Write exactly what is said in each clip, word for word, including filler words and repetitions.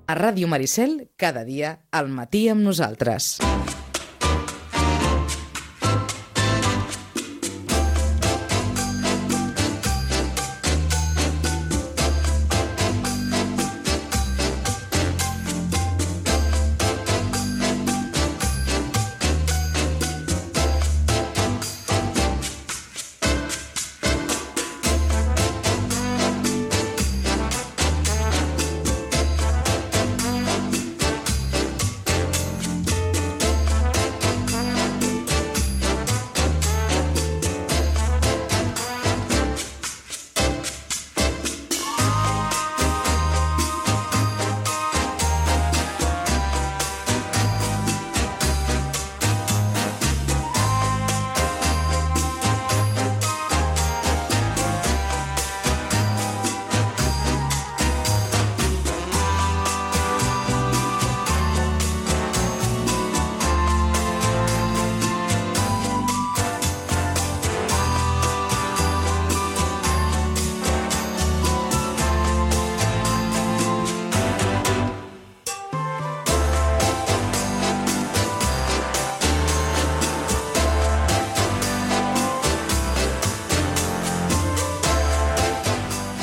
A Ràdio Maricel, cada dia, al matí amb nosaltres.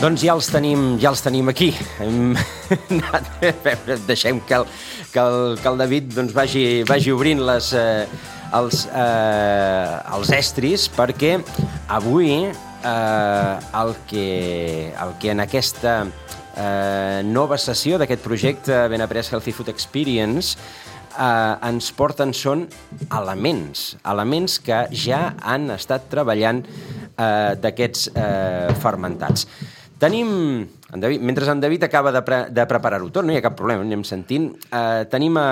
Doncs ja els tenim, ja els tenim aquí. Hem anat a veure, deixem que el, que el, que el David doncs, vagi, vagi obrint les, eh, els, eh, els estris, perquè avui eh, el, que, el que en aquesta eh, nova sessió d'aquest projecte Ben Après Healthy Food Experience eh, ens porten són elements, elements que ja han estat treballant eh, d'aquests eh, fermentats. Tenim, en David, mentre en David acaba de, pre, de preparar-ho tot, no hi ha cap problema, anem sentint, eh, tenim a,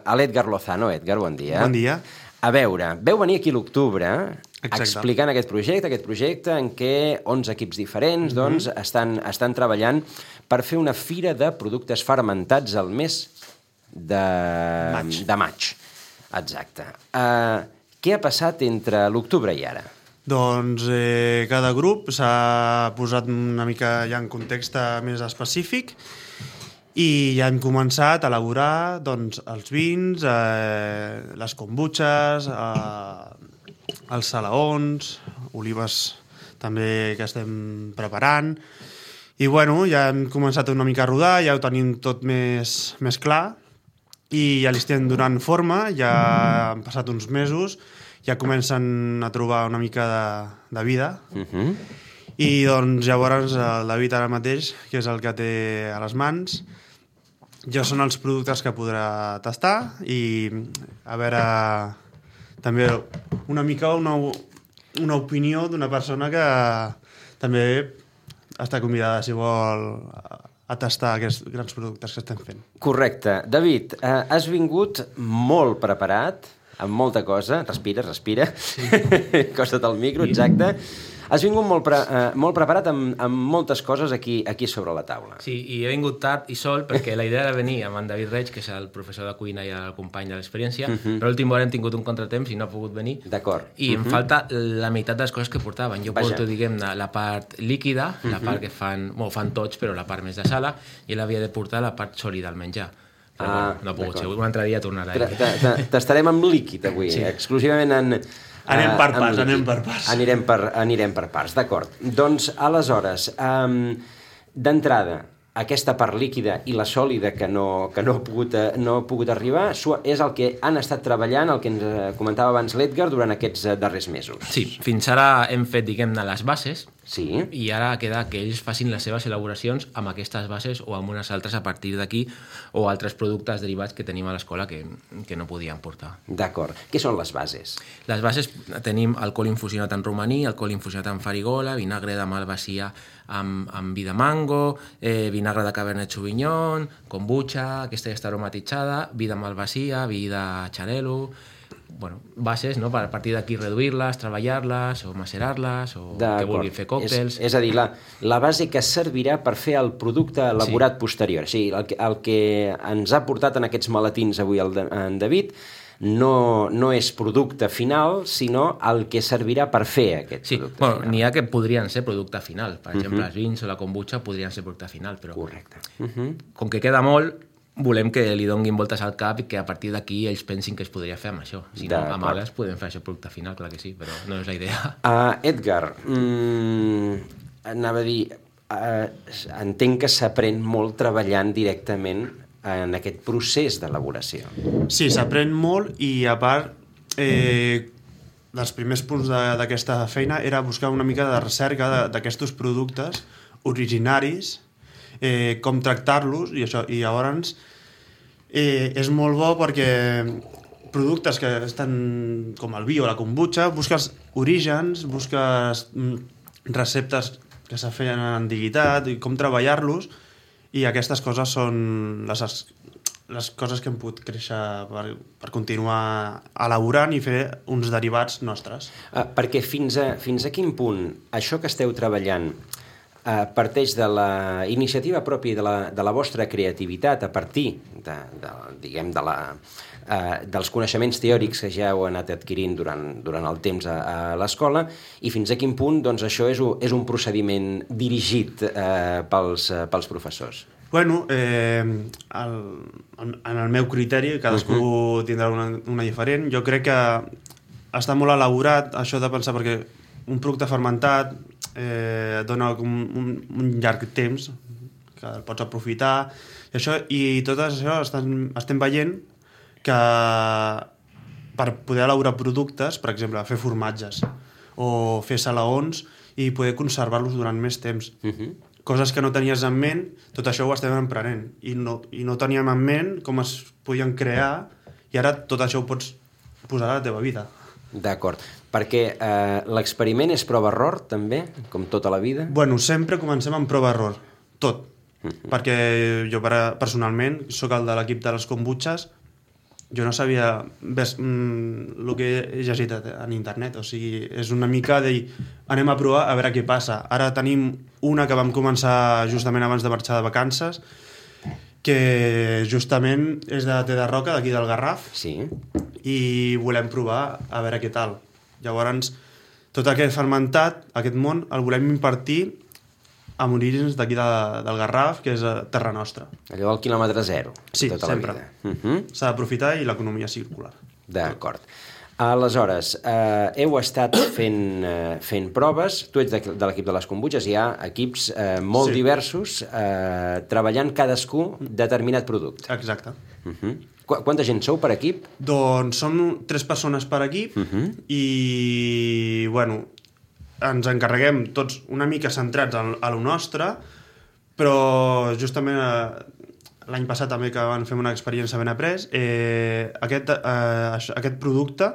a l'Edgar Lozano. Edgar, bon dia. Bon dia. A veure, veu venir aquí a l'octubre explicant aquest projecte, aquest projecte en què onze equips diferents mm-hmm. doncs, estan, estan treballant per fer una fira de productes fermentats al mes de maig. De maig. Exacte. Eh, què ha passat entre l'octubre i ara? Doncs eh, cada grup s'ha posat una mica ja en context més específic i ja hem començat a elaborar doncs, els vins, eh, les kombuchas, eh, els salaons, olives també que estem preparant. I bueno, ja hem començat una mica a rodar, ja ho tenim tot més, més clar i ja li estem donant forma, ja han passat uns mesos, ja comencen a trobar una mica de, de vida. Uh-huh. I doncs llavors el David ara mateix, que és el que té a les mans, ja són els productes que podrà tastar i a veure també una mica una, una opinió d'una persona que també està convidada, si vol, a tastar aquests grans productes que estem fent. Correcte. David, eh, has vingut molt preparat, amb molta cosa, respira, respira, sí. Costa't el micro, exacte. Has vingut molt, pre, eh, molt preparat amb, amb moltes coses aquí, aquí sobre la taula. Sí, i he vingut tard i sol perquè la idea era venir amb en David Reig, que és el professor de cuina i el company de l'experiència, uh-huh. però a l'últim hora hem tingut un contratemps i no ha pogut venir. D'acord. I uh-huh. em falta la meitat de les coses que portaven. Jo Vaja. porto, diguem-ne, la part líquida, uh-huh. la part que fan, bueno, fan tots, però la part més de sala, i ell havia de portar la part sòlida, al menjar. Però ah, bueno, no ha pogut ser. Un altre dia tornarà. T'estarem amb líquid avui, sí. exclusivament en... Anem per parts, anem per parts. Anirem per, anirem per parts, d'acord. Doncs, aleshores, um, d'entrada, aquesta part líquida i la sòlida que no, que no, ha pogut, no ha pogut arribar és el que han estat treballant, el que ens comentava abans l'Edgar, durant aquests darrers mesos. Sí, fins ara hem fet, diguem-ne, les bases, sí. i ara queda que ells facin les seves elaboracions amb aquestes bases o amb unes altres a partir d'aquí, o altres productes derivats que tenim a l'escola que, que no podien portar. D'acord. Què són les bases? Les bases tenim alcohol infusionat en romaní, alcohol infusionat en farigola, vinagre de malvasia amb, amb vi de mango, eh, vinagre de Cabernet Sauvignon, kombucha, aquesta ja està aromatitzada, vi de malvasia, vi de xarel·lo... Bueno, bases, no? Per a partir d'aquí reduir-les, treballar-les o macerar-les o que vulguin fer còctels. És, és a dir, la, la base que servirà per fer el producte elaborat sí. posterior. O sigui, el, que, el que ens ha portat en aquests maletins avui el, en David no, no és producte final, sinó el que servirà per fer aquest sí. producte bueno, final. N'hi ha que podrien ser producte final. Per exemple, uh-huh. Mhm. els vins o la kombucha podrien ser producte final, però correcte. Uh-huh. com que queda molt, volem que li donguin voltes al cap i que a partir d'aquí ells pensin que es podria fer amb això. Si no, amb ales podem fer això producte final, clar que sí, però no és la idea. Uh, Edgar, mm, anava a dir, uh, entenc que s'aprèn molt treballant directament en aquest procés d'elaboració. Sí, s'aprèn molt i a part eh, dels primers punts d'aquesta feina era buscar una mica de recerca d'aquests productes originaris, eh, com tractar-los i això, i llavors eh, és molt bo perquè productes que estan com el vi o la kombucha, busques orígens, busques mm, receptes que se feien en antiguitat i com treballar-los, i aquestes coses són les, les coses que hem pogut créixer per, per continuar elaborant i fer uns derivats nostres. Uh, perquè fins a, fins a quin punt això que esteu treballant Uh, parteix de la iniciativa pròpia de la, de la vostra creativitat a partir de, de, diguem, de la, uh, dels coneixements teòrics que ja heu anat adquirint durant, durant el temps a, a l'escola, i fins a quin punt doncs, això és un, és un procediment dirigit uh, pels, uh, pels professors? Bueno, eh, el, en el meu criteri, cadascú uh-huh. tindrà una, una diferent, jo crec que està molt elaborat això de pensar, perquè un producte fermentat eh, dona un, un, un llarg temps que el pots aprofitar i, això, i tot això estem, estem veient que per poder elaborar productes, per exemple, fer formatges o fer salaons i poder conservar-los durant més temps. Uh-huh. Coses que no tenies en ment, tot això ho estem emprenent i no, i no teníem en ment com es podien crear, i ara tot això ho pots posar a la teva vida. D'acord, perquè eh, l'experiment és prova-error també, com tota la vida? Bueno, sempre comencem amb prova-error, tot. Uh-huh. Perquè jo personalment soc el de l'equip de les kombuchas, jo no sabia ves, mm, el que he llegit en internet, o sigui, és una mica de dir, anem a provar a veure què passa. Ara tenim una que vam començar justament abans de marxar de vacances, que justament és de té de roca, d'aquí del Garraf, sí. I volem provar a veure què tal. Llavors, tot aquest fermentat, aquest món, el volem impartir amb orígens d'aquí de, del Garraf, que és a terra nostra. Allò del quilòmetre zero. Sí, tota sempre. La vida. Uh-huh. S'ha d'aprofitar i l'economia circular. D'acord. Aleshores, eh, heu estat fent, eh, fent proves, tu ets de, de l'equip de les kombuchas, hi ha equips eh, molt sí. diversos eh, treballant cadascú determinat producte. Exacte. Uh-huh. Qu Quanta gent sou per equip? Doncs som tres persones per equip uh-huh. i, bueno, ens encarreguem tots una mica centrats a, a lo nostre, però justament eh, l'any passat també que van fer una experiència ben après, eh, aquest, eh, aquest producte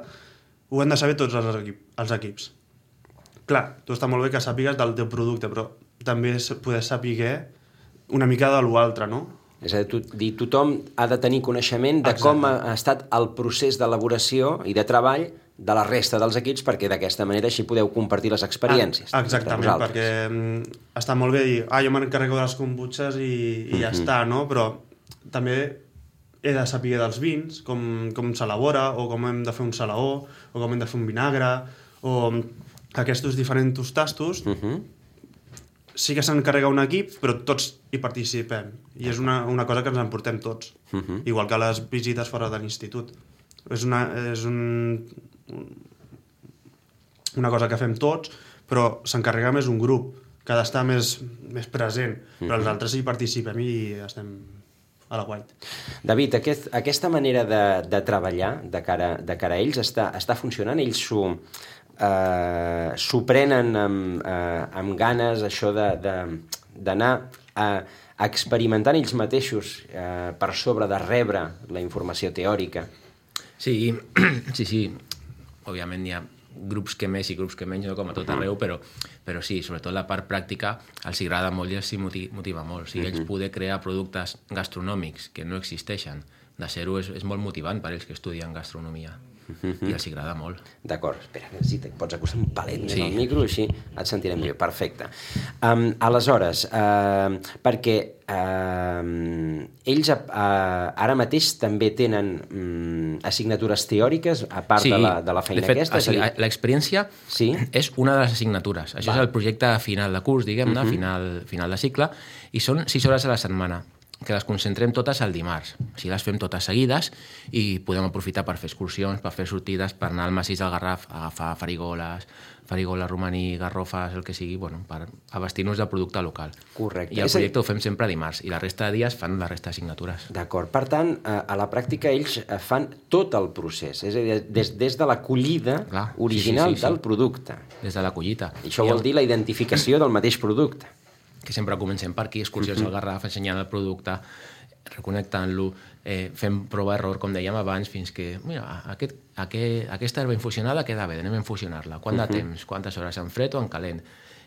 ho han de saber tots els, equip, els equips. Clar, tu està molt bé que sàpigues del teu producte, però també poder saber una mica de l'altre, no? És a dir, tothom ha de tenir coneixement de Exacte. Com ha estat el procés d'elaboració i de treball de la resta dels equips, perquè d'aquesta manera així podeu compartir les experiències. Ah, exactament, perquè mm, està molt bé dir, ah, jo m'encarrego de les kombuchas i, i ja mm-hmm. està, no? Però també he de saber dels vins, com, com s'elabora, o com hem de fer un salaó, o com hem de fer un vinagre, o aquests diferents tastos. Mm-hmm. Sí que s'encarrega un equip, però tots hi participem. I és una, una cosa que ens emportem tots. Uh-huh. Igual que les visites fora de l'institut. És, una, és un, una cosa que fem tots, però s'encarrega més un grup, que ha d'estar més, més present. Uh-huh. Però els altres hi participem i estem a la guait. David, aquest, aquesta manera de, de treballar de cara, de cara a ells està, està funcionant? Ells s'ho... Uh, s'ho prenen amb, uh, amb ganes, això d'anar a, a experimentant ells mateixos uh, per sobre de rebre la informació teòrica? Sí, sí, sí. Òbviament hi ha grups que més i grups que menys, no com a tot arreu, però, però sí, sobretot la part pràctica els agrada molt i els motiva molt. O sigui, ells poder crear productes gastronòmics que no existeixen de zero és, és molt motivant per ells que estudien gastronomia. I els agrada molt. D'acord, espera, si et pots acostar un palet més sí. al micro, així et sentirem bé. Perfecte. Um, aleshores, uh, perquè uh, ells uh, ara mateix també tenen um, assignatures teòriques a part sí, de, la, de la feina de fet, aquesta? O sigui, l'experiència sí? és una de les assignatures. Això Va. és el projecte final de curs, diguem-ne, uh-huh. final, final de cicle, i són sis hores a la setmana. que les concentrem totes el dimarts. Així les fem totes seguides i podem aprofitar per fer excursions, per fer sortides, per anar al massís del Garraf, a agafar farigoles, farigola, romaní, garrofes, el que sigui, bueno, per abastir-nos del producte local. Correcte. I el projecte ho fem sempre dimarts i la resta de dies fan la resta de signatures. D'acord. Per tant, a la pràctica ells fan tot el procés, és a dir, des, des de la collida Clar, original sí, sí, sí, sí. del producte. Des de la collita. I això vol dir la identificació del mateix producte. Que sempre comencem per aquí, excursions al Garraf, ensenyant el producte, reconnectant-lo, eh, fem prova-error, com dèiem abans, fins que, mira, aquest, aquest, aquesta herba infusionada queda bé, anem a infusionar-la. Quant de temps, quantes hores, en fred o en calent?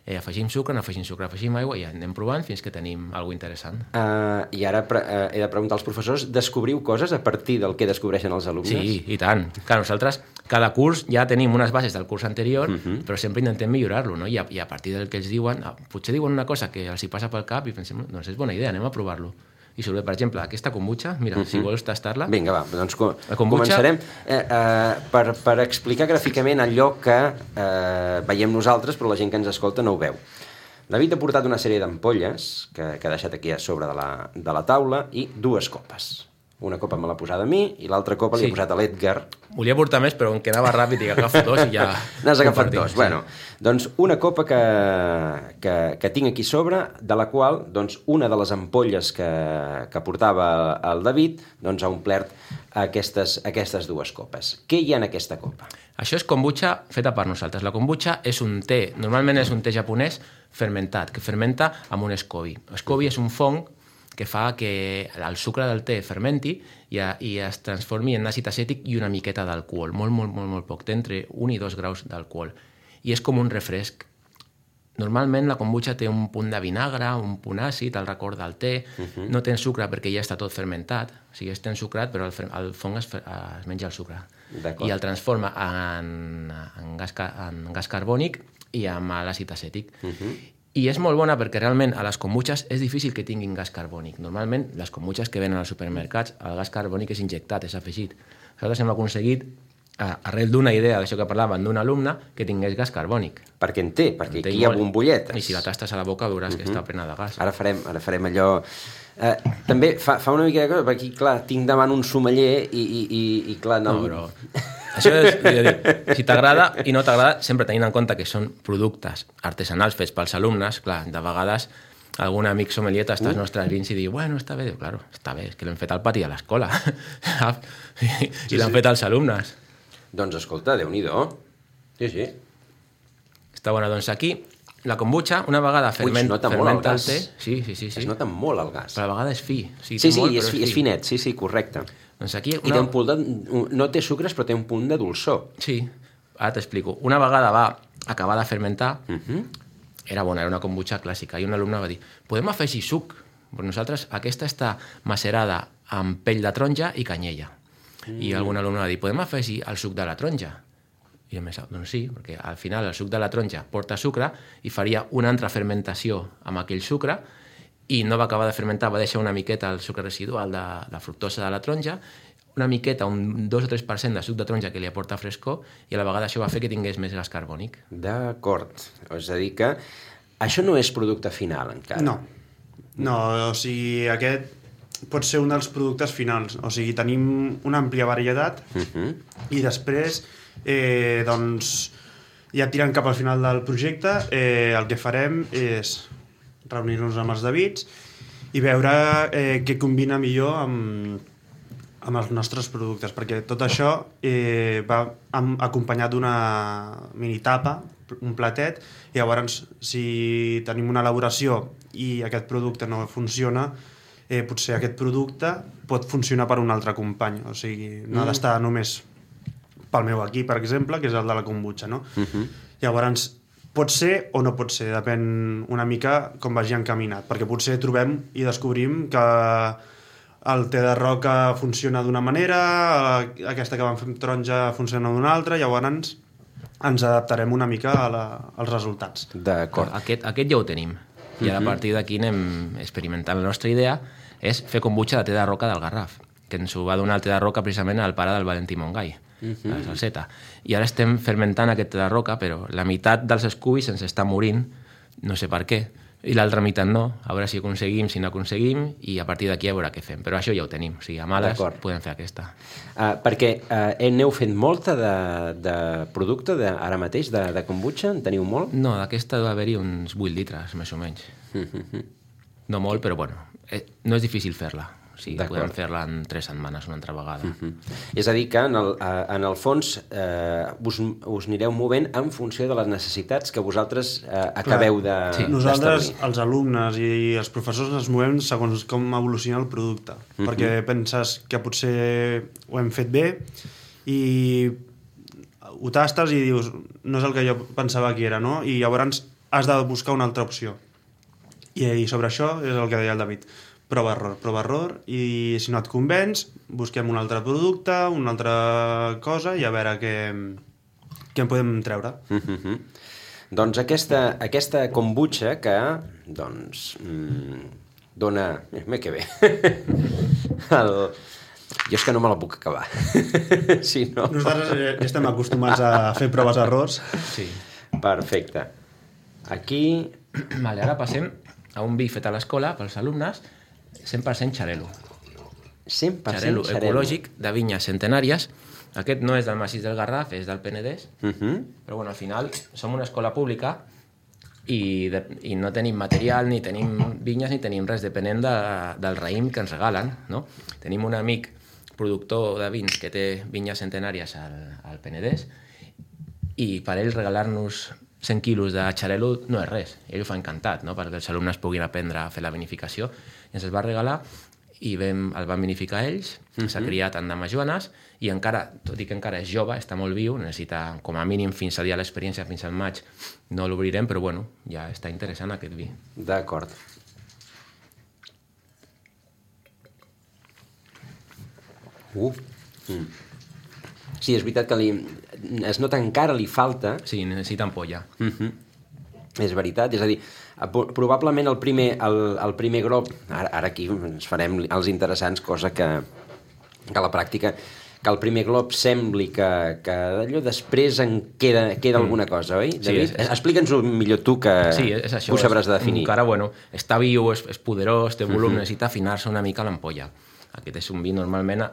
Eh, afegim sucre, no afegim sucre, afegim aigua i anem provant fins que tenim alguna interessant. Uh, I ara pre uh, he de preguntar als professors, descobriu coses a partir del que descobreixen els alumnes? Sí, i tant. Clar, nosaltres cada curs ja tenim unes bases del curs anterior, uh -huh. però sempre intentem millorar-lo, no? I a, I a partir del que ells diuen, potser diuen una cosa que els hi passa pel cap i pensem, doncs és bona idea, anem a provar-lo. I sobre, per exemple, aquesta kombucha, mira, uh -huh. si vols tastar-la... Vinga, va, doncs co kombucha... començarem eh, eh, per, per explicar gràficament allò que eh, veiem nosaltres, però la gent que ens escolta no ho veu. David ha portat una sèrie d'ampolles que, que ha deixat aquí a sobre de la, de la taula i dues copes. Una copa me l'ha posada a mi i l'altra copa sí. li he posat a l'Edgar. Volia portar més, però em quedava ràpid i agafo dos i ja... N'has agafat dos. Sí. Bueno, doncs una copa que, que, que tinc aquí sobre, de la qual doncs, una de les ampolles que, que portava el David doncs, ha omplert aquestes, aquestes dues copes. Què hi ha en aquesta copa? Això és kombucha feta per nosaltres. La kombucha és un te, normalment és un te japonès fermentat, que fermenta amb un scoby. Scoby és un fong que fa que el sucre del te fermenti i, i es transformi en àcid acètic i una miqueta d'alcohol, molt, molt, molt, molt poc, té entre un i dos graus d'alcohol. I és com un refresc. Normalment la kombucha té un punt de vinagre, un punt àcid, el record del te, uh -huh. no té sucre perquè ja està tot fermentat, o sigui, és ten sucrat, però el, el fong es, es menja el sucre. I el transforma en, en, gas, en gas carbònic i amb l'àcid acètic. Uh -huh. I és molt bona perquè realment a les kombuchas és difícil que tinguin gas carbònic. Normalment, les kombuchas que venen als supermercats, el gas carbònic és injectat, és afegit. Nosaltres hem aconseguit, arrel d'una idea d'això que parlaven d'un alumne, que tingués gas carbònic. Perquè en té, perquè aquí hi ha bombolletes. I si la tastes a la boca veuràs uh -huh. que està plena de gas. Ara farem, ara farem allò... Eh, també fa, fa una mica de cosa, perquè aquí, clar, tinc davant un sommelier i, i, i, i clar... No, no però... Això és, jo dic, si t'agrada i no t'agrada, sempre tenint en compte que són productes artesanals fets pels alumnes, clar, de vegades algun amic sommelier tasta els uh. nostres vins i diu, bueno, està bé, diu, claro, està bé, és que l'hem fet al pati a l'escola i, i sí, l'han sí. fet als alumnes. Doncs escolta, Déu-n'hi-do. Sí, sí. Està bona, doncs aquí, la kombucha, una vegada ferment, Ui, fermenta el, el té... Sí, sí, sí, sí. Es nota molt el gas. Però a vegada és fi. O sigui, sí, sí, molt, és, és, fi, és finet, sí, sí, correcte. Doncs aquí una... I té un punt de, no té sucres, però té un punt de dolçor. Sí, ara t'explico. Una vegada va acabar de fermentar, uh -huh. era bona, era una kombucha clàssica, i un alumne va dir, podem afegir suc? Però nosaltres, aquesta està macerada amb pell de taronja i canyella. Mm. I algun alumne va dir, podem afegir el suc de la taronja? I jo pensava, doncs sí, perquè al final el suc de la taronja porta sucre i faria una altra fermentació amb aquell sucre i no va acabar de fermentar, va deixar una miqueta el sucre residual de la fructosa de la taronja, una miqueta, un dos o tres per cent de suc de taronja que li aporta frescor i a la vegada això va fer que tingués més gas carbònic. D'acord. És a dir que això no és producte final encara. No. No, o sigui, aquest pot ser un dels productes finals. O sigui, tenim una àmplia varietat uh -huh. i després, eh, doncs, ja tirant cap al final del projecte, eh, el que farem és reunir-nos amb els Davids i veure eh, què combina millor amb, amb els nostres productes, perquè tot això eh, va acompanyat d'una mini tapa, un platet, i llavors si tenim una elaboració i aquest producte no funciona, eh, potser aquest producte pot funcionar per un altre company, o sigui, no mm. ha d'estar només pel meu equip, per exemple, que és el de la kombucha, no? Uh -huh. Llavors, pot ser o no pot ser, depèn una mica com vagi encaminat, perquè potser trobem i descobrim que el te de roca funciona d'una manera, aquesta que vam fer amb taronja funciona d'una altra, llavors ens adaptarem una mica a la, als resultats. D'acord. Aquest, aquest ja ho tenim. I ara a partir d'aquí anem experimentant. La nostra idea és fer kombucha de te de roca del Garraf, que ens ho va donar el te de roca precisament al pare del Valentí Montgai, uh -huh. la salseta. I ara estem fermentant aquest te de roca, però la meitat dels escubis ens està morint, no sé per què, i l'altra meitat no, a veure si aconseguim, si no aconseguim, i a partir d'aquí a veure què fem. Però això ja ho tenim, o sigui, a males podem fer aquesta. Uh, perquè uh, n'heu fet molta de, de producte de, ara mateix, de, de kombucha? En teniu molt? No, d'aquesta va haver-hi uns vuit litres, més o menys. No molt, però bueno, eh, no és difícil fer-la. O sigui, podem fer-la en tres setmanes una altra vegada. Uh-huh. És a dir, que en el, en el fons eh, us, us anireu movent en funció de les necessitats que vosaltres eh, acabeu de, sí. Nosaltres, els alumnes i els professors, ens movem segons com evoluciona el producte. Uh-huh. Perquè penses que potser ho hem fet bé i ho tastes i dius no és el que jo pensava que era, no? I llavors has de buscar una altra opció. I, i sobre això és el que deia el David. Prova error, prova error, i si no et convenç, busquem un altre producte, una altra cosa, i a veure què, què en podem treure. Mm-hmm. Doncs aquesta, aquesta kombucha que, doncs, mmm, dona... Mira que bé. El... Jo és que no me la puc acabar. Si no... Nosaltres ja estem acostumats a fer proves-errors. Sí. Perfecte. Aquí... Vale, ara passem a un vi fet a l'escola pels alumnes, cent per cent xarel·lo. cent per cent xarel·lo xarel·lo. ecològic de vinyes centenàries. Aquest no és del massís del Garraf, és del Penedès. Uh-huh. Però bueno, al final som una escola pública i, de, i no tenim material, ni tenim vinyes, ni tenim res, depenent de, del raïm que ens regalen, no? Tenim un amic productor de vins que té vinyes centenàries al, al Penedès i per ell regalar-nos cent quilos de xarel·lo no és res. Ell ho fa encantat, no? Perquè els alumnes puguin aprendre a fer la vinificació. I ens el va regalar i vam, el van vinificar ells, uh-huh. S'ha criat en damajuanes i encara, tot i que encara és jove, està molt viu, necessita com a mínim fins a dia l'experiència, fins al maig, no l'obrirem, però bueno, ja està interessant aquest vi. D'acord. Uh. Mm. Sí, és veritat que li, es nota que encara li falta... Sí, necessita ampolla. Uh-huh. És veritat, és a dir, probablement el primer, el, el primer grop, ara, ara aquí ens farem els interessants, cosa que, que a la pràctica, que el primer glob sembli que, que d'allò després en queda, queda mm. alguna cosa, oi, David? Sí, explica'ns-ho millor tu, que sí, és això, ho sabràs definir. Encara, bueno, està viu, és, és poderós, té volum, uh-huh. Necessita afinar-se una mica l'ampolla. Aquest és un vi, normalment,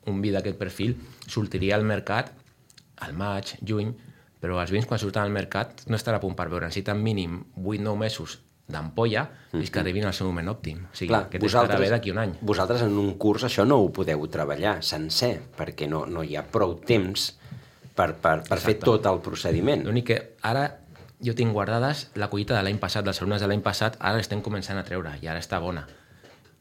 un vi d'aquest perfil sortiria al mercat al maig, juny, però els vins quan surten al mercat no estarà a punt per veure, necessiten mínim vuit o nou mesos d'ampolla fins mm-hmm. que arribin al seu moment òptim. O sigui, clar, que estarà bé d'aquí un any. Vosaltres en un curs això no ho podeu treballar sencer, perquè no, no hi ha prou temps per, per, per fer tot el procediment. L'únic que ara jo tinc guardades la collita de l'any passat, dels alumnes de l'any passat, ara l'estem començant a treure i ara està bona.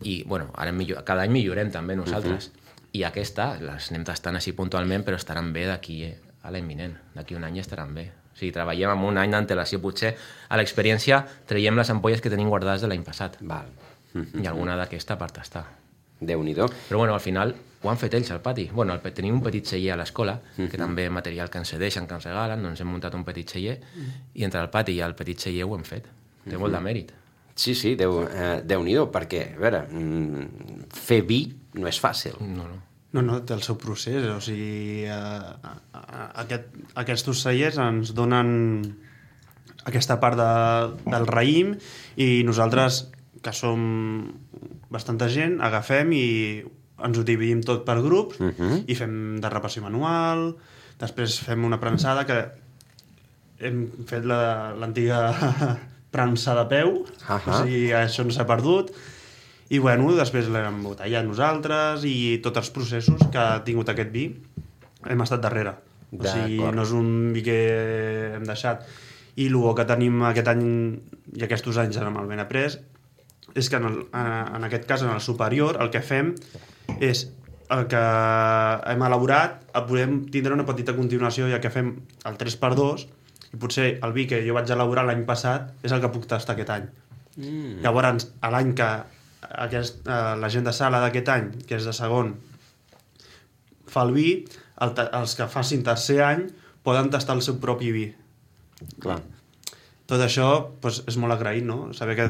I, bueno, ara millor, cada any millorem també nosaltres. Mm-hmm. I aquesta, les anem tastant així puntualment, però estaran bé d'aquí a l'any vinent. D'aquí un any estaran bé. O sigui, treballem amb un any d'antelació. Potser a l'experiència traiem les ampolles que tenim guardades de l'any passat. Val. I alguna d'aquesta per tastar. Déu-n'hi-do. Però bueno, al final ho han fet ells al pati. Bueno, el, tenim un petit celler a l'escola, que uh-huh. també material que ens cedeixen, que ens regalen, doncs hem muntat un petit celler, uh-huh. i entre el pati i el petit celler ho hem fet. Té uh-huh. molt de mèrit. Sí, sí, Déu, eh, Déu-n'hi-do, perquè, a veure, mm, fer vi no és fàcil. No, no. No, no, té el seu procés, o sigui, a, a, a, aquest, aquests cellers ens donen aquesta part de, del raïm i nosaltres, que som bastanta gent, agafem i ens ho dividim tot per grups uh-huh. i fem derrapació manual, després fem una prensada que hem fet la, l'antiga premsa de peu, uh-huh. o sigui, això no s'ha perdut. I bueno, després l'hem embotellat nosaltres i tots els processos que ha tingut aquest vi hem estat darrere. O sigui, no és un vi que hem deixat. I el que tenim aquest any i aquests anys amb el Benaprés és que en, el, en aquest cas, en el superior, el que fem és el que hem elaborat, podem tindre una petita continuació, ja que fem el tres per dos i potser el vi que jo vaig elaborar l'any passat és el que puc tastar aquest any. Mm. Llavors, a l'any que Aquest, eh, la gent de sala d'aquest any, que és de segon, fa el vi, el ta- els que facin tercer any poden tastar el seu propi vi. Clar. Tot això pues, és molt agraït, no? Saber que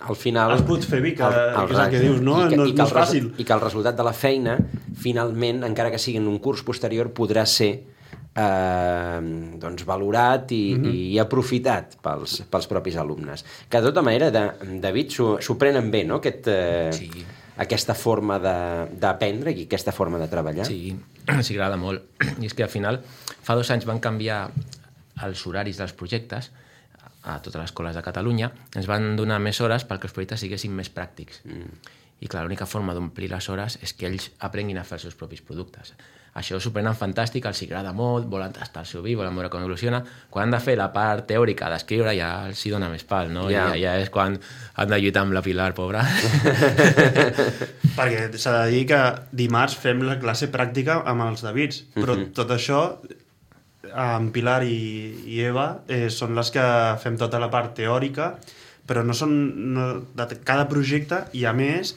al final es pot fer vi, que, el, el que és el que dius, no? I que, no, i que no és fàcil. I que el resultat de la feina, finalment, encara que sigui en un curs posterior, podrà ser eh, doncs valorat i, mm-hmm. i aprofitat pels, pels propis alumnes. Que de tota manera, de, David, s'ho prenen bé, no?, Aquest, eh, sí. aquesta forma d'aprendre i aquesta forma de treballar. Sí, sí, agrada molt. I és que al final, fa dos anys van canviar els horaris dels projectes a totes les escoles de Catalunya, ens van donar més hores perquè els projectes siguessin més pràctics. Mm. I clar, l'única forma d'omplir les hores és que ells aprenguin a fer els seus propis productes. Això s'ho prenen fantàstic, els agrada molt, volen tastar el seu vi, volen veure com evoluciona. Quan han de fer la part teòrica d'escriure ja els hi dona més pal, no? Yeah. Ja, ja és quan han de lluitar amb la Pilar, pobra. Perquè s'ha de dir que dimarts fem la classe pràctica amb els Davids, però mm-hmm. tot això, en Pilar i, i Eva, eh, són les que fem tota la part teòrica, però no són no, de cada projecte, i a més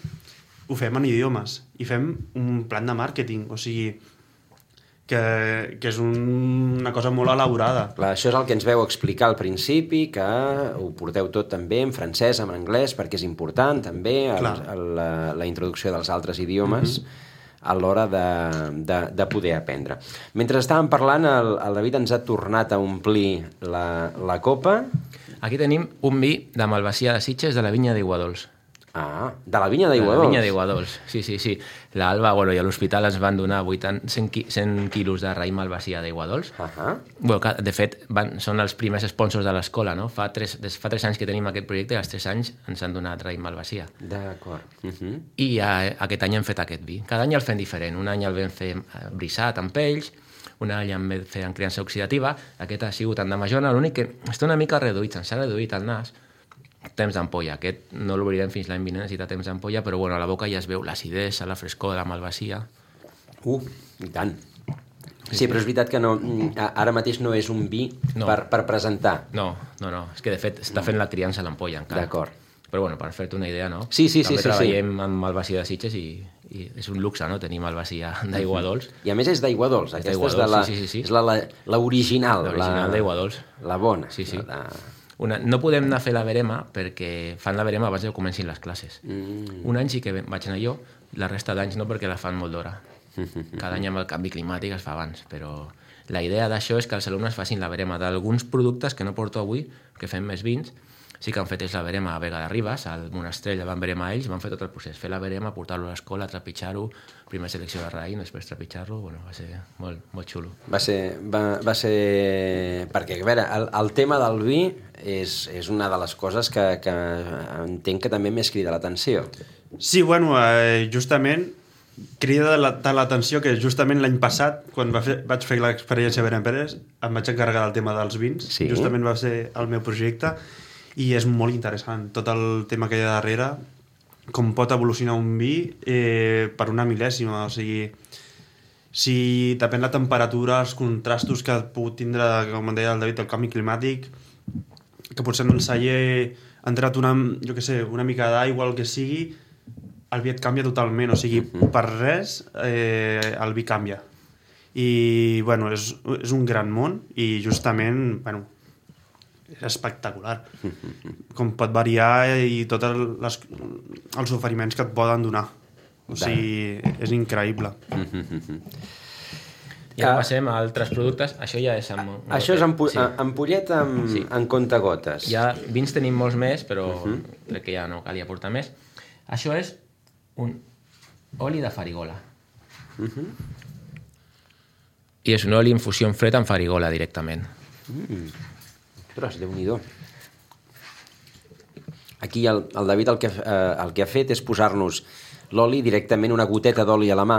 ho fem en idiomes i fem un plan de màrqueting, o sigui que, que és un, una cosa molt elaborada. Clar, això és el que ens veu explicar al principi, que ho porteu tot també en francès, en anglès, perquè és important també el, el, la, la introducció dels altres idiomes mm-hmm. a l'hora de, de, de poder aprendre. Mentre estàvem parlant, el, el David ens ha tornat a omplir la, la copa. Aquí tenim un vi de Malvasia de Sitges de la vinya d'Aiguadols. Ah, de la vinya d'Aiguadols. De la vinya d'Aiguadols, sí, sí, sí. L'Alba, bueno, i a l'hospital ens van donar vuitanta, cent, cent quilos de raïm Malvasia d'Aiguadols. Uh -huh. Bueno, que, de fet, van, són els primers sponsors de l'escola, no? Fa tres, des, fa tres anys que tenim aquest projecte i als tres anys ens han donat raïm Malvasia. D'acord. Uh -huh. I a, aquest any hem fet aquest vi. Cada any el fem diferent. Un any el vam fer brissat amb pells, un any el vam fer en criança oxidativa, aquest ha sigut en Damajona, l'únic que està una mica reduït, se'ns ha reduït el nas, temps d'ampolla. Aquest no l'obrirem fins l'any vinent, necessita temps d'ampolla, però bueno, a la boca ja es veu l'acidesa, la frescor de la Malvasia. Uh, i tant. Sí, però és veritat que no, ara mateix no és un vi no. per, per presentar. No, no, no. És que de fet està fent la criança a l'ampolla encara. D'acord. Però bueno, per fer-te una idea, no? Sí, sí, També sí. sí treballem sí. amb Malvasia de Sitges i, i és un luxe, no?, tenir Malvasia d'Aiguadols. I a més és d'Aiguadols. Aquesta és, de la, sí, sí, sí. és la, la, la original. L'original d'Aiguadols. La bona. Sí, sí. La de... Una, no podem anar a fer la verema perquè fan la verema abans que comencin les classes. Mm. Un any sí que vaig anar jo, la resta d'anys no, perquè la fan molt d'hora. Cada any amb el canvi climàtic es fa abans, però la idea d'això és que els alumnes facin la verema d'alguns productes que no porto avui, que fem més vins. Sí que han fet la verema a Vega de Ribes, al Monastrell, van verema ells, van fer tot el procés, fer la verema, portar-lo a l'escola, trepitjar-ho, primer selecció de raïm, després trepitjar-lo, bueno, va ser molt, molt xulo. Va ser, va, va ser... Perquè, a veure, el, el tema del vi és, és una de les coses que, que entenc que també més crida l'atenció. Sí, bueno, eh, justament crida l'atenció que justament l'any passat, quan va fer, vaig fer l'experiència a Beren Pérez, em vaig encarregar del tema dels vins, sí. Justament va ser el meu projecte, i és molt interessant tot el tema que hi ha darrere, com pot evolucionar un vi eh, per una mil·lèsima, o sigui, si depèn la temperatura, els contrastos que ha pogut tindre, com deia el David, el canvi climàtic, que potser en el celler ha entrat una, jo què sé, una mica d'aigua, el que sigui, el vi et canvia totalment, o sigui, per res eh, el vi canvia. I, bueno, és, és un gran món i justament, bueno, és espectacular com pot variar i tots les, els oferiments que et poden donar, o sigui, és increïble. I ara passem a altres productes. Això ja és amb... Això és ampo sí. ampollet amb, sí. amb contagotes. Ja vins tenim molts més, però uh -huh. crec que ja no calia portar més. Això és un oli de farigola. Uh -huh. I és un oli infusió en fred amb farigola directament. Mm. Ostres, Déu-n'hi-do. Aquí el, el David el que, eh, el que ha fet és posar-nos l'oli directament, una goteta d'oli a la mà,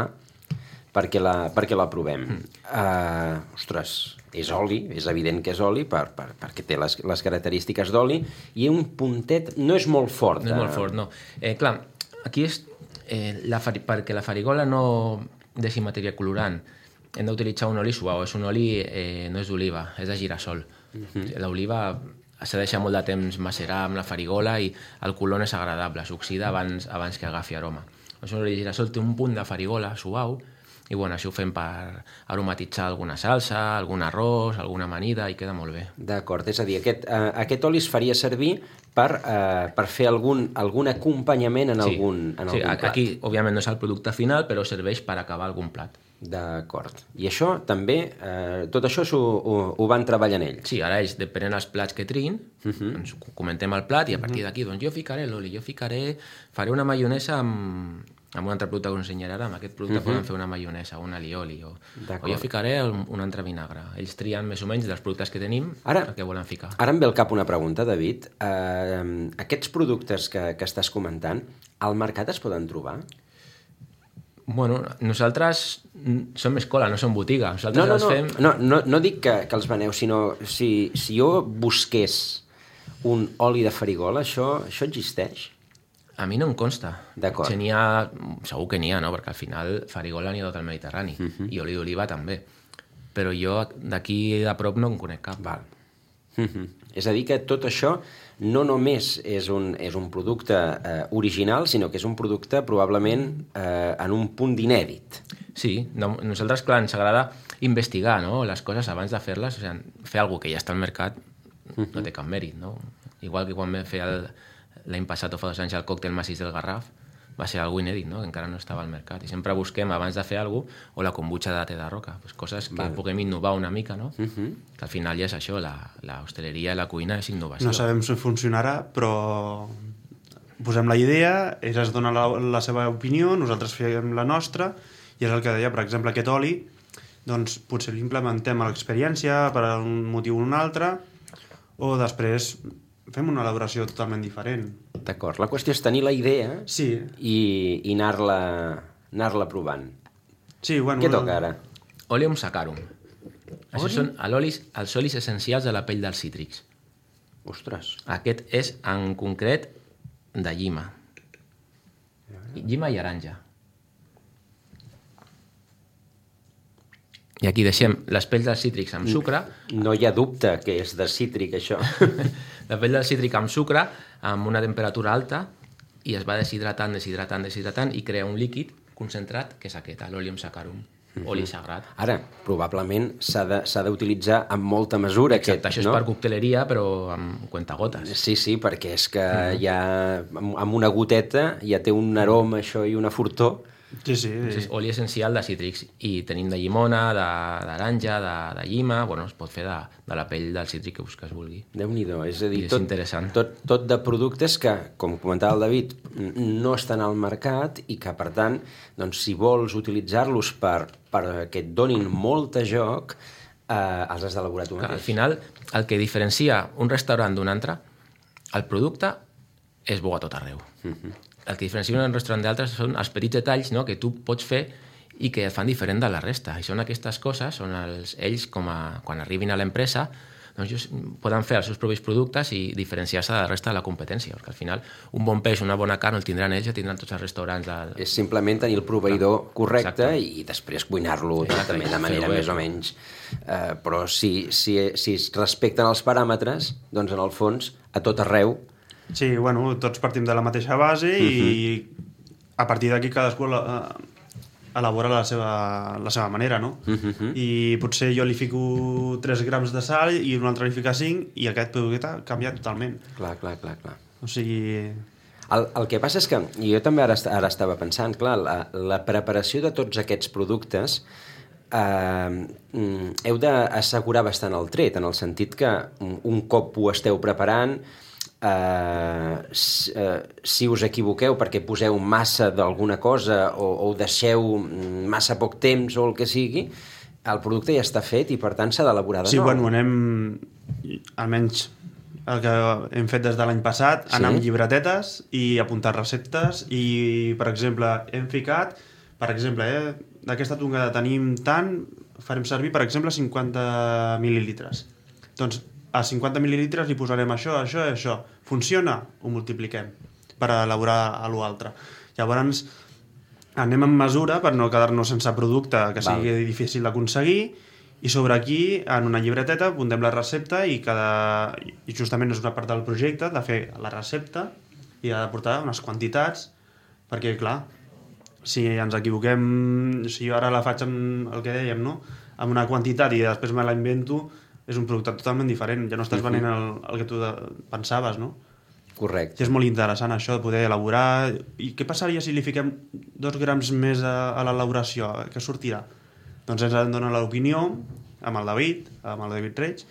perquè la, perquè la provem. Mm. Uh, ostres, és oli, és evident que és oli, per, per, perquè té les, les característiques d'oli, i un puntet, no és molt fort. No és molt fort, no. Eh, clar, aquí és, eh, la fari, perquè la farigola no deixi matèria colorant, hem d'utilitzar un oli suau, és un oli, eh, no és d'oliva, és de girassol. Uh-huh. L'oliva s'ha de deixar molt de temps macerar amb la farigola i el color no és agradable, s'oxida abans, abans que agafi aroma. És un oli de girassol, té un punt de farigola suau, i bueno, això ho fem per aromatitzar alguna salsa, algun arròs, alguna amanida, i queda molt bé. D'acord, és a dir, aquest, uh, aquest oli es faria servir per, uh, per fer algun, algun acompanyament en, sí. algun, en sí, algun plat. Aquí, òbviament, no és el producte final, però serveix per acabar algun plat. D'acord. I això també, eh, tot això ho, ho, ho van treballant ells? Sí, ara ells, depenent dels plats que triïn, uh -huh. doncs comentem el plat i a partir d'aquí doncs jo ficaré l'oli, jo ficaré, faré una maionesa amb, amb un altre producte que us ensenyaré ara, amb aquest producte uh -huh. poden fer una maionesa, un alioli, o, o jo ficaré un, un altre vinagre. Ells trien més o menys dels productes que tenim ara, el que volen ficar. Ara em ve al cap una pregunta, David. Uh, aquests productes que, que estàs comentant, al mercat es poden trobar? Bueno, nosaltres som escola, no som botiga. Nosaltres no, no, els no, fem... no, no, no dic que, que els veneu, sinó si, si jo busqués un oli de farigola, això, això existeix? A mi no em consta. D'acord. Si n'hi ha, segur que n'hi ha, no? Perquè al final farigola n'hi ha tot el Mediterrani. Uh -huh. I oli d'oliva també. Però jo d'aquí a prop no en conec cap. Val. Uh -huh. És a dir, que tot això no només és un, és un producte eh, original, sinó que és un producte probablement eh, en un punt d'inèdit. Sí, no, nosaltres, clar, ens agrada investigar, no?, les coses abans de fer-les. O sigui, fer alguna que ja està al mercat uh-huh. no té cap mèrit, no? Igual que quan vam fer el, l'any passat o fa dos anys el còctel massís del Garraf, va ser algo inèdit, no?, que encara no estava al mercat. I sempre busquem, abans de fer alguna cosa, o la kombucha de té de roca, pues coses que Val. puguem innovar una mica, no? Uh-huh. Que al final ja és això, la, la hostaleria i la cuina és innovació. No sabem si funcionarà, però posem la idea, ells es donen la, la seva opinió, nosaltres fem la nostra, i és el que deia, per exemple, aquest oli, doncs potser l'implementem a l'experiència per un motiu o un altre, o després fem una elaboració totalment diferent. D'acord. La qüestió és tenir la idea sí. i, i anar-la anar-la provant. Sí, bueno... Què toca ara? Oleum saccharum. Això són l'olis, els olis essencials de la pell dels cítrics. Ostres. Aquest és, en concret, de llima. Llima i aranja. I aquí deixem les pells dels cítrics amb sucre. No hi ha dubte que és de cítric, això. La pell del cítric amb sucre, amb una temperatura alta, i es va deshidratant, deshidratant, deshidratant, i crea un líquid concentrat, que és aquest, l'olium saccharum, mm-hmm. oli sagrat. Ara, probablement s'ha d'utilitzar amb molta mesura. Exacte, aquest, això no? és per cocteleria, però amb cuentagotes. Sí, sí, perquè és que mm. ja, amb una goteta ja té un aroma, això, i una fortor. Sí, sí. És oli essencial de cítrics, i tenim de llimona, d'aranja, de, de, de llima, bueno, es pot fer de, de la pell del cítric que, que es vulgui. Déu-n'hi-do, és a dir, és tot, interessant. Tot, tot de productes que, com comentava el David, no estan al mercat i que, per tant, doncs, si vols utilitzar-los per, perquè et donin molt de joc, eh, els has d'elaborar tu mateix. Al final, el que diferencia un restaurant d'un altre, el producte és bo a tot arreu. Uh-huh. El que diferencia un restaurant d'altres són els petits detalls, no?, que tu pots fer i que et fan diferent de la resta. I són aquestes coses, són els, ells, com a, quan arribin a l'empresa, doncs poden fer els seus propis productes i diferenciar-se de la resta de la competència, perquè al final un bon peix, una bona carn, el tindran ells, el tindran tots els restaurants. Del... És simplement tenir el proveïdor ah, correcte exacte. I després cuinar-lo també de manera més o menys. Uh, però si, si, si es respecten els paràmetres, doncs en el fons, a tot arreu. Sí, bueno, tots partim de la mateixa base uh-huh. i a partir d'aquí cadascú la, elabora la seva, la seva manera, no? Uh-huh. I potser jo li fico tres grams de sal i un altre li fica cinc i aquest producte canvia totalment. Clar, clar, clar, clar. O sigui... El, el que passa és que, jo també ara, ara estava pensant, clar, la, la preparació de tots aquests productes eh, heu d'assegurar bastant el tret, en el sentit que un cop ho esteu preparant, Uh, si, uh, si us equivoqueu perquè poseu massa d'alguna cosa o, o deixeu massa poc temps o el que sigui, el producte ja està fet i per tant s'ha d'elaborar de sí, nou. Sí, bueno, anem, almenys el que hem fet des de l'any passat, sí? Anar amb llibretetes i apuntar receptes i, per exemple, hem ficat, per exemple, eh, d'aquesta tongada tenim tant, farem servir, per exemple, cinquanta mil·lilitres. Doncs a cinquanta mil·lilitres li posarem això, això i això. Funciona? Ho multipliquem per elaborar a l'altre. Llavors, anem amb mesura per no quedar-nos sense producte que sigui Val. Difícil d'aconseguir i sobre aquí, en una llibreteta, apuntem la recepta i, cada... i justament és una part del projecte de fer la recepta i ha de portar unes quantitats perquè, clar, si ens equivoquem, si jo ara la faig amb el que dèiem, no? Amb una quantitat i després me la invento, és un producte totalment diferent, ja no estàs venent el, el que tu de, pensaves, no? Correcte. I és molt interessant això, de poder elaborar... I què passaria si li fiquem dos grams més a, a l'elaboració? Què sortirà? Doncs ens en donen l'opinió amb el David, amb el David Reig,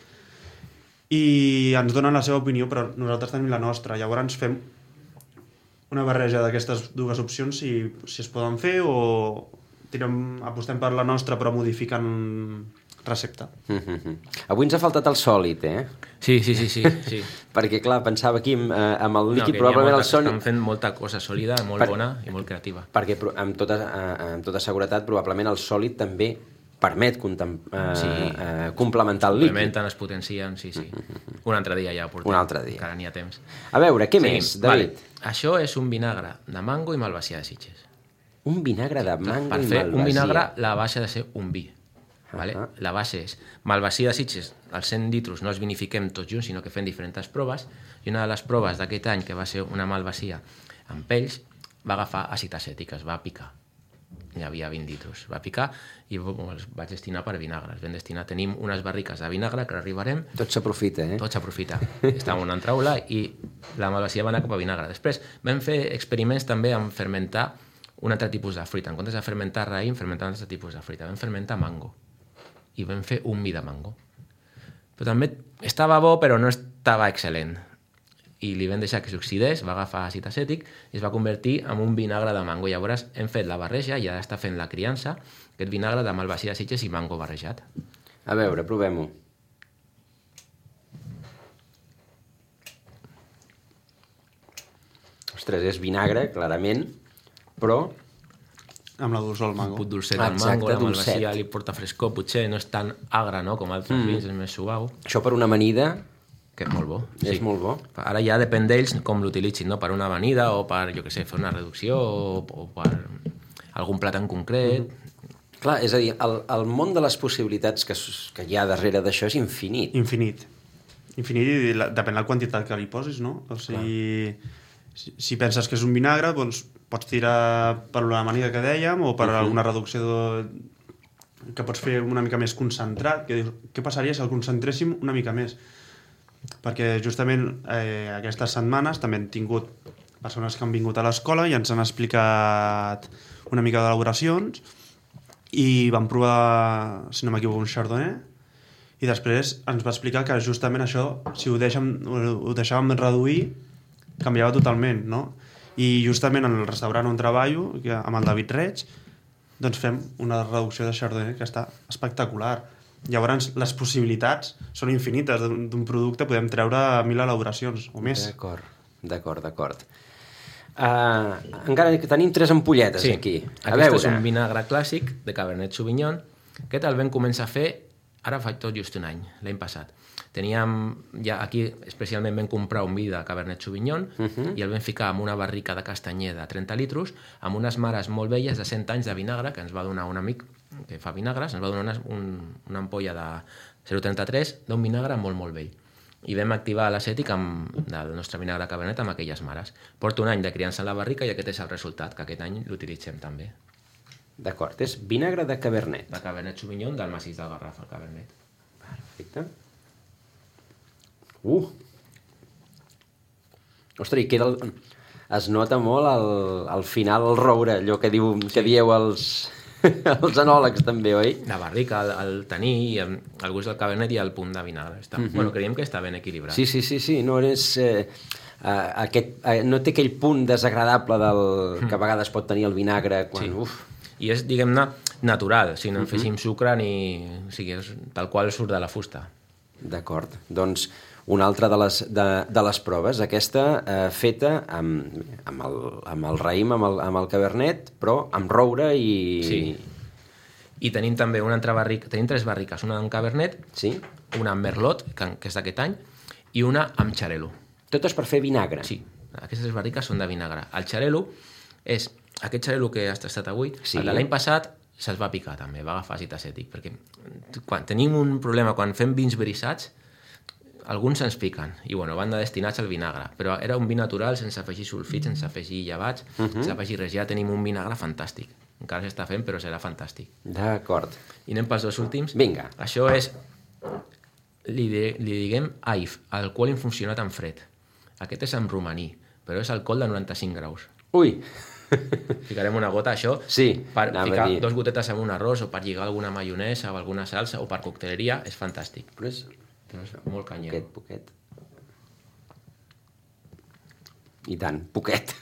i ens donen la seva opinió, però nosaltres tenim la nostra. Llavors fem una barreja d'aquestes dues opcions, si, si es poden fer, o tirem, apostem per la nostra però modificant recepta. Mm-hmm. Avui ens ha faltat el sòlid, eh? Sí, sí, sí, sí, sí. Perquè, clar, pensava aquí amb, eh, amb el líquid, no, probablement molta, el sòlid... Estan fent molta cosa sòlida, molt per... bona i molt creativa. Perquè, amb tota, eh, amb tota seguretat, probablement el sòlid també permet contem... eh, Sí. eh, complementar el líquid. Complementen, es potencien, sí, sí. Un altre dia ja ho portem. Un altre dia. Encara n'hi ha temps. A veure, què Seguim. més, David? Vale. Això és un vinagre de mango i malvasia de Sitges. Un vinagre de mango Per i fer malvasia. un vinagre, la base ha de ser un vi. Vale? Uh-huh. La base és malvasia de Sitges, els cent litros no els vinifiquem tots junts, sinó que fem diferents proves, i una de les proves d'aquest any, que va ser una malvasia amb pells, va agafar àcid acètic, es va picar. Hi havia vint litros. Va picar i els vaig destinar per vinagre. Els vam destinar. Tenim unes barriques de vinagre que arribarem. Tot s'aprofita, eh? Tot s'aprofita. Estava en una altra aula i la malvasia va anar cap a vinagre. Després vam fer experiments també amb fermentar un altre tipus de fruita. En comptes de fermentar raïm, fermentar un altre tipus de fruita. Vam fermentar mango. I vam fer un vi de mango. Però també estava bo, però no estava excel·lent. I li vam deixar que s'oxidés, va agafar àcid acètic i es va convertir en un vinagre de mango. Llavors hem fet la barreja i ara està fent la criança, aquest vinagre de malvasia de Sitges i mango barrejat. A veure, provem-ho. Ostres, és vinagre, clarament, però... Amb la dolçor del Un mango. put dolcet del Exacte, mango, la dolcet. malvasia li porta frescor, potser no és tan agre, no?, com altres mm. vins, és més suau, Això per una amanida que és molt bo. és molt bo. Ara ja depèn d'ells com l'utilitzin, no?, per una amanida o per, jo què sé, fer una reducció o, o per algun plat en concret. Mm. Clar, és a dir, el, el món de les possibilitats que, s- que hi ha darrere d'això és infinit. Infinit. Infinit i la, depèn de la quantitat que li posis, no? O sigui, si, si penses que és un vinagre, doncs pots tirar per la manida que dèiem o per uh -huh. alguna reducció de... que pots fer una mica més concentrat, que dius, què passaria si el concentréssim una mica més? Perquè justament eh, aquestes setmanes també hem tingut persones que han vingut a l'escola i ens han explicat una mica d'elaboracions i vam provar, si no m'equivoco, un chardonnay i després ens va explicar que justament això, si ho, deixem, ho deixàvem reduir, canviava totalment, no? I justament en el restaurant on treballo, que amb el David Reig, doncs fem una reducció de chardonnay que està espectacular. Llavors, les possibilitats són infinites d'un d'un producte, podem treure mil elaboracions o més. D'acord, d'acord, d'acord. Uh, encara que tenim tres ampolletes Sí, aquí. A aquest veure. és un vinagre clàssic de Cabernet Sauvignon. Aquest el vam començar a fer, ara fa tot just un any, l'any passat. Teníem, ja aquí especialment vam comprar un vi de Cabernet Sauvignon uh -huh. i el vam ficar en una barrica de castanyer de trenta litros amb unes mares molt velles de cent anys de vinagre que ens va donar un amic que fa vinagres, ens va donar una, un, una ampolla de zero coma trenta-tres d'un vinagre molt, molt vell. I vam activar l'acètic amb, del nostre vinagre Cabernet amb aquelles mares. Porta un any de criança en la barrica i aquest és el resultat, que aquest any l'utilitzem també. D'acord, és vinagre de Cabernet. De Cabernet Sauvignon del massís del Garraf, el Cabernet. Perfecte. Uh! Ostres, i queda el... es nota molt al, al final el roure, allò que, diu, que dieu els, els enòlegs també, oi? La barrica, el, el tenir, i el, el gust del Cabernet i el punt de vinagre. Està, uh-huh. Bueno, creiem que està ben equilibrat. Sí, sí, sí, sí. No, és, eh, eh, aquest, eh, no té aquell punt desagradable del, que a vegades pot tenir el vinagre quan... Sí. Uf. I és, diguem-ne, natural, si no en féssim sucre ni... O sigui, és tal qual surt de la fusta. D'acord. Doncs una altra de les, de, de les proves, aquesta eh, feta amb, amb, el, amb el raïm, amb el, amb el cabernet, però amb roure i... Sí. I tenim també una altra barrica, tenim tres barriques, una amb cabernet, Sí? una amb merlot, que, que és d'aquest any, i una amb xarel·lo. Totes per fer vinagre. Sí, aquestes barriques són de vinagre. El xarel·lo és aquest xarel·lo que has tastat avui, Sí. el de l'any passat se'ls va picar també, va agafar àcid acètic, perquè quan tenim un problema, quan fem vins brissats, alguns se'ns piquen, i bueno, van de destinats al vinagre, però era un vi natural, sense afegir sulfits, sense afegir llevats, uh -huh. sense afegir res, ja tenim un vinagre fantàstic. Encara s'està fent, però serà fantàstic. D'acord. I anem pels dos últims. Vinga. Això és, li, de, li diguem A I F, alcohol infusionat en fred. Aquest és en romaní, però és alcohol de noranta-cinc graus. Ui! Ficarem una gota, això, Sí, per anava a ficar dir. dos gotetes en un arròs o per lligar alguna maionesa o alguna salsa o per cocteleria, és fantàstic. Però és... Molt canyero. Poquet, poquet. I tant, poquet.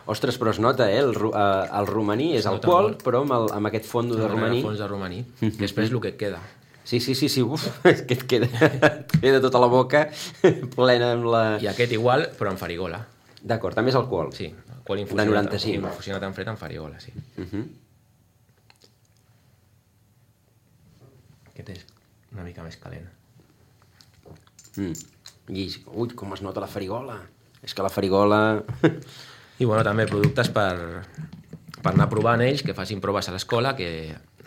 Ostres, però es nota, eh? El, ru- eh, el romaní és Es nota alcohol, molt. però amb, el, amb aquest fondo de romaní... Fons de romaní. Després el que et queda. Sí, sí, sí, sí, uf, és que et queda, et queda tota la boca plena amb la... I aquest igual, però amb farigola. D'acord, també és alcohol. Sí, alcohol De infusionat, noranta-cinc. infusionat en fred amb farigola, sí. Uh -huh. Aquest és una mica més calent. mm. I, ui, com es nota la farigola. És que la farigola... I bueno, també productes per, per anar provant ells, que facin proves a l'escola, que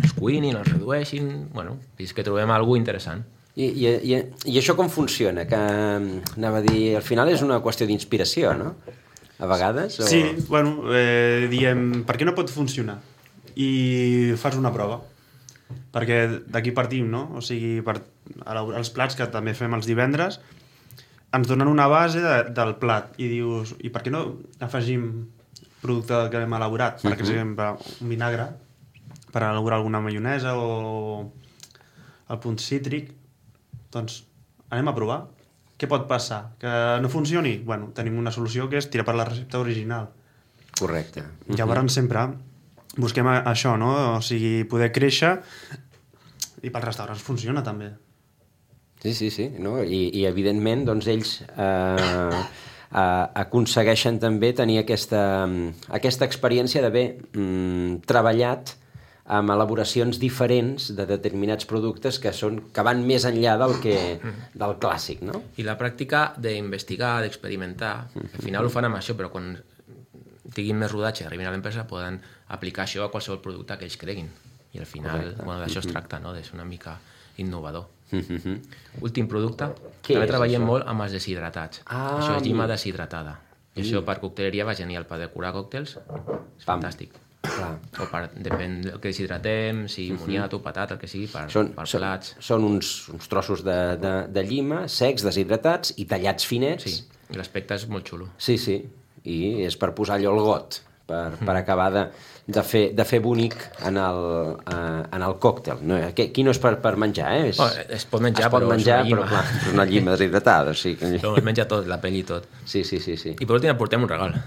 els cuinin, els redueixin... Bueno, fins que trobem alguna interessant. I, i, i, I això com funciona? Que, anava a dir, al final és una qüestió d'inspiració, no? A vegades? O... Sí, bueno, eh, diem, per què no pot funcionar? I fas una prova. Perquè d'aquí partim, no? O sigui, per, els plats que també fem els divendres ens donen una base de, del plat i dius, i per què no afegim producte que hem elaborat? Per exemple, un vinagre per elaborar alguna maionesa o el punt cítric. Doncs anem a provar. Què pot passar? Que no funcioni? Bueno, tenim una solució que és tirar per la recepta original. Correcte. Llavors sempre busquem a- això, no? O sigui, poder créixer i pels restaurants funciona també. Sí, sí, sí. No? I, I evidentment, doncs, ells eh, eh, aconsegueixen també tenir aquesta, aquesta experiència d'haver mm, treballat amb elaboracions diferents de determinats productes que són que van més enllà del, que, del clàssic, no? I la pràctica d'investigar, d'experimentar, al final ho fan amb això, però quan tinguin més rodatge i arribin a l'empresa poden aplicar això a qualsevol producte que ells creguin. I al final, bueno, d'això es tracta, no? De ser una mica innovador. Últim producte, Què també és treballem això? molt amb els deshidratats. Ah, això és llima mira. deshidratada. I això per cocteleria va genial, per decorar còctels, és Pam. fantàstic. Clar. O per, depèn del que deshidratem, si moniato, patata, el que sigui, per, Són, per són, plats. són uns, uns trossos de, de, de llima secs, deshidratats i tallats finets. Sí, i l'aspecte és molt xulo. Sí, sí. I és per posar allò al got, per, per acabar de, de, fer, de fer bonic en el, uh, en el còctel. No, aquí, aquí no és per, per menjar, eh? És, Oh, es pot menjar, es pot però és menjar, una llima. però clar, és una llima deshidratada. O sigui, Però es menja tot, la pell i tot. sí, sí, sí, sí. I per últim portem un regal.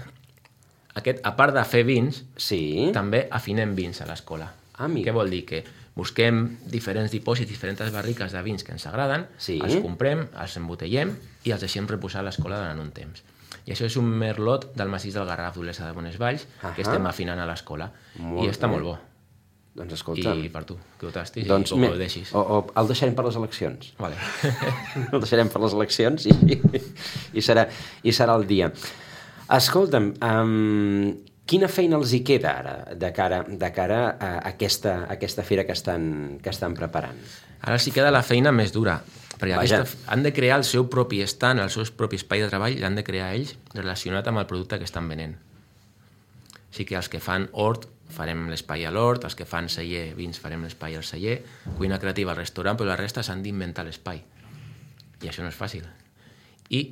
Aquest, a part de fer vins, Sí? també afinem vins a l'escola. Ah, mira. Què vol dir? Que busquem diferents dipòsits, diferents barriques de vins que ens agraden, Sí. els comprem, els embotellem i els deixem reposar a l'escola durant un temps. I això és un merlot del massís del Garraf d'Olesa de Bonesvalls, Ahà. que estem afinant a l'escola. Molt I està bé. molt bo. Doncs escolta... I per tu, que ho tastis doncs, i com me- ho deixis. o, o el deixarem per les eleccions. Vale. El deixarem per les eleccions i, i, serà, i serà el dia. Escolta'm, um, quina feina els hi queda ara de cara, de cara a aquesta, a aquesta fera que estan, que estan preparant? Ara sí queda la feina més dura, perquè Vaja. aquesta, han de crear el seu propi stand, el seu propi espai de treball, l'han de crear ells relacionat amb el producte que estan venent. Així que els que fan hort, farem l'espai a l'hort, els que fan celler, vins, farem l'espai al celler, cuina creativa al restaurant, però la resta s'han d'inventar l'espai. I això no és fàcil. I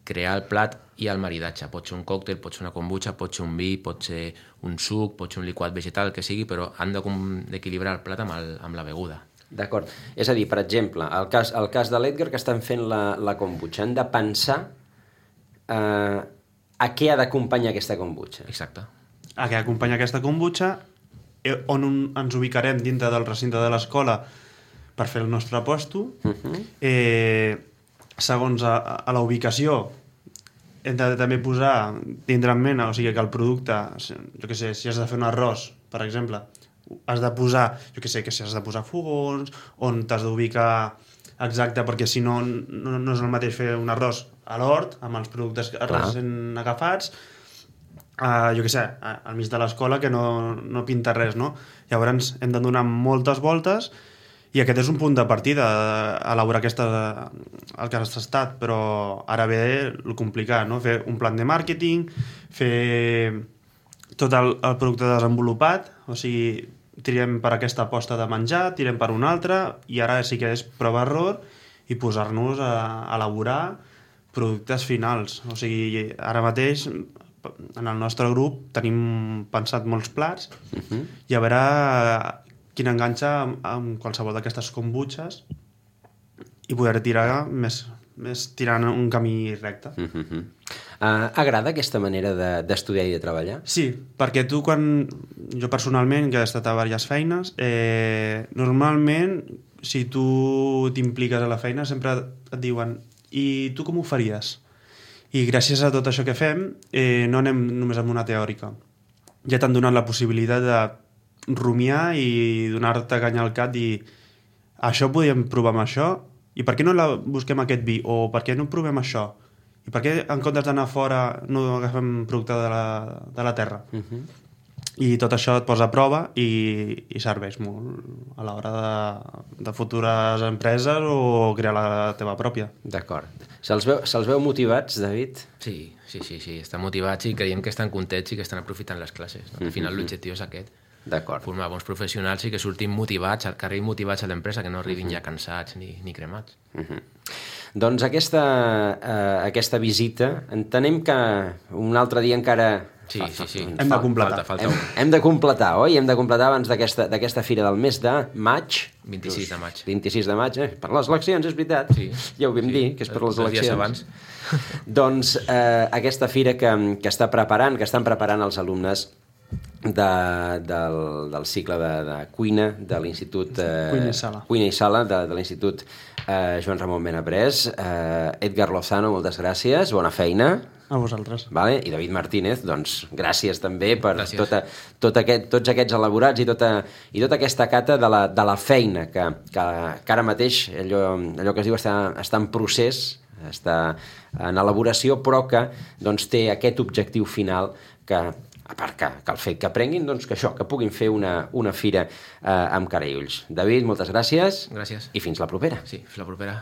crear el plat i el maridatge. Pot ser un còctel, pot ser una kombucha, pot ser un vi, pot ser un suc, pot ser un liquat vegetal, el que sigui, però han de com- d'equilibrar el plat amb, el, amb la beguda. D'acord. És a dir, per exemple, el cas, el cas de l'Edgar, que estan fent la, la kombucha, han de pensar eh, a què ha d'acompanyar aquesta kombucha. Exacte. A què acompanya aquesta kombucha, eh, on un, ens ubicarem dintre del recinte de l'escola per fer el nostre posto. Uh-huh. eh, segons a, a la ubicació hem de també posar tindre en ment, o sigui que el producte, jo què sé, si has de fer un arròs, per exemple, has de posar, jo què sé, que si has de posar fogons, on t'has d'ubicar exacte, perquè si no, no, no és el mateix fer un arròs a l'hort, amb els productes recent agafats, uh, jo què sé, al mig de l'escola, que no, no pinta res, no? Llavors hem de donar moltes voltes i aquest és un punt de partida, elaborar aquesta, el que has estat, però ara ve el complicat, no? Fer un plan de màrqueting, fer tot el, el producte desenvolupat, o sigui, tirem per aquesta aposta de menjar, tirem per una altra, i ara sí que és prova-error i posar-nos a, a elaborar productes finals. O sigui, ara mateix en el nostre grup tenim pensat molts plats Uh-huh. i a veure quin enganxa amb, amb qualsevol d'aquestes kombutxes i poder tirar més, més tirant un camí recte. Uh-huh. Uh, agrada aquesta manera de- d'estudiar i de treballar? Sí, perquè tu quan... Jo personalment, que he estat a diverses feines, eh, normalment, si tu t'impliques a la feina, sempre et diuen i tu com ho faries? I gràcies a tot això que fem, eh, no anem només amb una teòrica. Ja t'han donat la possibilitat de rumiar i donar-te canya al cap i això podíem provar amb això i per què no la busquem aquest vi o per què no provem això i per què en comptes d'anar fora no agafem producte de la, de la terra. Uh-huh. I tot això et posa a prova i, i serveix molt a l'hora de, de futures empreses o crear la teva pròpia. D'acord. Se'ls veu, se veu motivats, David? Sí, sí, sí, sí, estan motivats i creiem que estan contents i que estan aprofitant les classes. No? Al final l'objectiu és aquest, D'acord. formar bons professionals i que surtin motivats, que arribin motivats a l'empresa, que no arribin ja cansats ni, ni cremats. Uh-huh. Doncs aquesta, uh, aquesta visita, entenem que un altre dia encara... Sí, sí, sí. Hem de completar. Falta, falta Hem, hem de completar, oi? Hem de completar abans d'aquesta d'aquesta fira del mes de maig. vint-i-sis de maig. vint-i-sis de maig, eh? Per les eleccions, és veritat. Sí. Ja ho vam Sí. dir, que és per les Dos dies eleccions. abans. Doncs eh, aquesta fira que, que està preparant, que estan preparant els alumnes de, del, del cicle de, de cuina de l'Institut... Eh, Cuina i Sala. Cuina i Sala, de, de l'Institut eh, Joan Ramon Benaprés. Eh, Edgar Lozano, moltes gràcies, bona feina. A vosaltres. Vale? I David Martínez, doncs gràcies també per Gràcies. tota, tot aquest, tots aquests elaborats i tota, i tota aquesta cata de la, de la feina que, que, que ara mateix allò, allò que es diu està, està en procés, està en elaboració, però que doncs, té aquest objectiu final que, a part que, que el fet que aprenguin, doncs, que això, que puguin fer una, una fira eh, amb cara i ulls. David, moltes gràcies. Gràcies. I fins la propera. Sí, fins la propera.